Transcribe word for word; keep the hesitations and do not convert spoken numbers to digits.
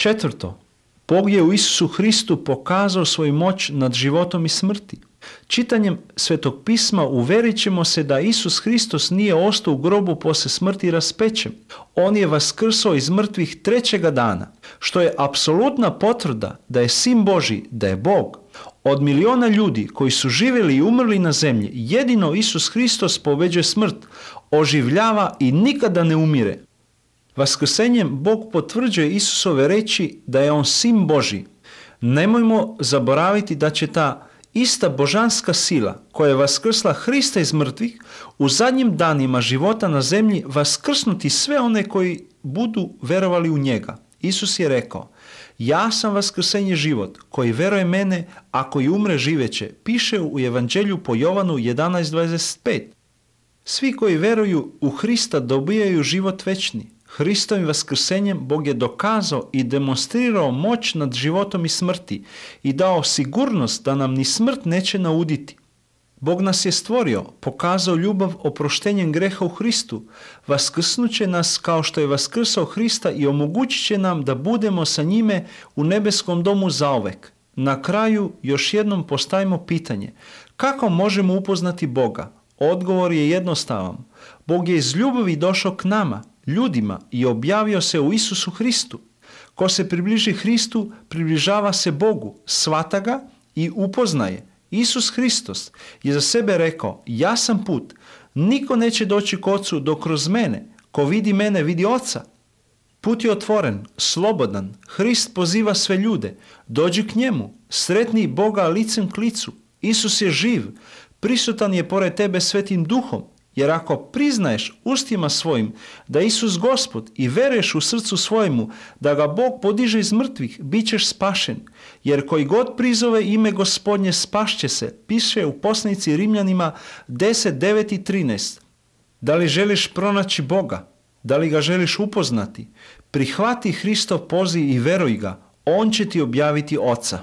Četvrto, Bog je u Isusu Hristu pokazao svoju moć nad životom i smrti. Čitanjem Svetog pisma uverit ćemo se da Isus Hristos nije ostao u grobu poslije smrti i raspečen. On je vaskrsao iz mrtvih trećega dana, što je apsolutna potvrda da je Sin Božji, da je Bog. Od miliona ljudi koji su živjeli i umrli na zemlji, jedino Isus Hristos pobeđuje smrt, oživljava i nikada ne umire. Vaskrsenjem Bog potvrđuje Isusove reči da je on Sin Božji. Nemojmo zaboraviti da će ta ista božanska sila koja je vaskrsla Hrista iz mrtvih u zadnjim danima života na zemlji vaskrsnuti sve one koji budu verovali u njega. Isus je rekao: ja sam vaskrsenje život, koji veruje mene, a koji umre živeće, piše u Evanđelju po Jovanu jedanaest dvadeset pet. Svi koji veruju u Hrista dobijaju život večni. Hristovim vaskrsenjem Bog je dokazao i demonstrirao moć nad životom i smrti i dao sigurnost da nam ni smrt neće nauditi. Bog nas je stvorio, pokazao ljubav oproštenjem greha u Hristu, vaskrsnuće nas kao što je vaskrsao Hrista i omogućit će nam da budemo sa njime u nebeskom domu zauvek. Na kraju još jednom postavimo pitanje: kako možemo upoznati Boga? Odgovor je jednostavan. Bog je iz ljubavi došao k nama, ljudima, i objavio se u Isusu Hristu. Ko se približi Hristu, približava se Bogu, shvata ga i upoznaje. Isus Hristos je za sebe rekao: ja sam put, niko neće doći k Ocu dok kroz mene. Ko vidi mene, vidi Oca. Put je otvoren, slobodan. Hrist poziva sve ljude. Dođi k njemu, sretni Boga licem k licu. Isus je živ, prisutan je pored tebe Svetim Duhom. Jer ako priznaješ ustima svojim da Isus Gospod i veruješ u srcu svojemu da ga Bog podiže iz mrtvih, bit ćeš spašen. Jer koji god prizove ime Gospodnje spašće se, piše u poslanici Rimljanima deset, devet i trinaest. Da li želiš pronaći Boga? Da li ga želiš upoznati? Prihvati Hristov poziv i veruj ga. On će ti objaviti Oca.